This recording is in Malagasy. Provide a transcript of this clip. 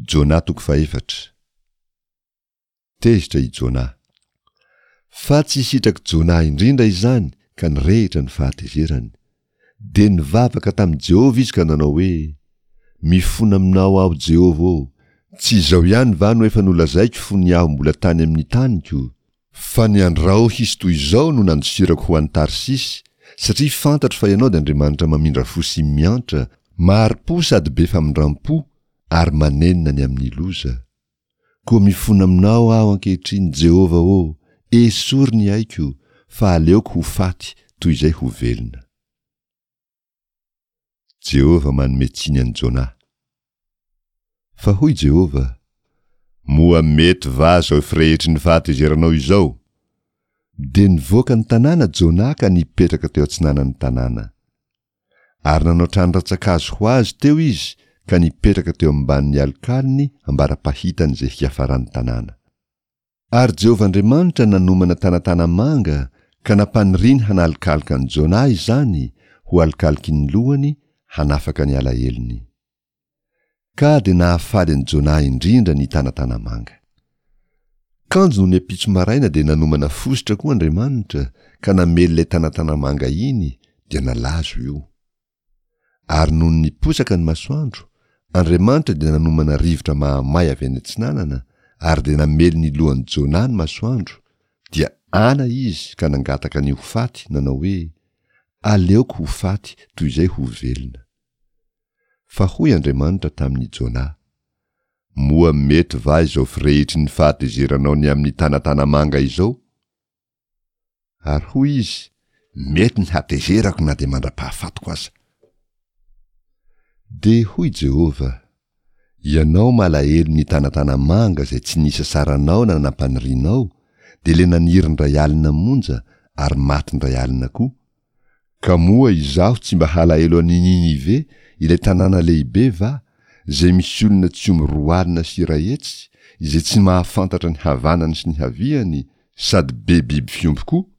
Jona toko fahefatra. Tezitra i Jona. Fa tsy sitrak'i Jona indrindra izany ka nirehitra ny fahatezerany. Dia nivavaka tamin'i Jehovah izy ka nanao hoe, Mifona aminao aho, Jehovah ô! Tsy izao ihany va no efa nolazaiko fony aho mbola tany amin'ny taniko? Fa ny andrao hisy toy izao no nandosirako ho any Tarsisy, satria fantatro fa ianao dia Andriamanitra mamindra fo sy miantra, mahari-po sady be famindram-po, ary manenina ny amin'ny loza. Koa mifona aminao aho ankehitriny, Jehovah ô, esory ny aiko, fa aleoko ho faty toy izay ho velona. Jehovah manome tsiny an'i Jonah. Fa hoy Jehovah, Moa mety va izao firehitry ny fahatezeranao izao? Dia nivoaka ny tanàna Jonah ka nipetraka teo atsinanan'ny tanàna. Ary nanao trano rantsankazo ho azy teo izy ka nipetraka teo ambanin'ny alokalony ambara-pahitany izay hiafaran'ny tanàna. Ary Jehovah Andriamanitra nanomana tanatana-manga ka nampaniriany hanalokaloka an'i Jonah izany ho alokaloky ny lohany hanafaka ny alahelony. Ka dia nahafaly an'i Jonah indrindra ny tanatana-manga. Kanjo nony ampitso maraina dia nanomana fositra koa Andriamanitra ka namely ilay tanatana-manga iny dia nalazo io. Ary nony niposaka ny masoandro, Andriamanitra dia nanomana rivotra mahamay avy any atsinanana ary dia namely ny lohan'i Jonah ny masoandro, dia ana izy ka nangataka ny ho faty nanao hoe, Aleoko ho faty toy izay ho velona. Fa hoy Andriamanitra tamin'i Jonah, Moa mety va izao firehitry ny fahatezeranao ny amin'ny tanatana-manga izao? Ary hoy izy, Mety ny hatezerako na dia mandra-pahafatiko aza. Dia hoy Jehovah, Ianao malahelo ny tanatana-manga izay tsy nisasaranao na nampanirianao, dia le naniry indray alina monja ary maty indray alina koa, Ka moa izaho tsy mba halahelo an'i Ninive, ilay tanàna lehibe va, izay misy olona tsy omby 120, izay tsy mahafantatra ny havanany sy ny haviany, sady be biby fiompy koa?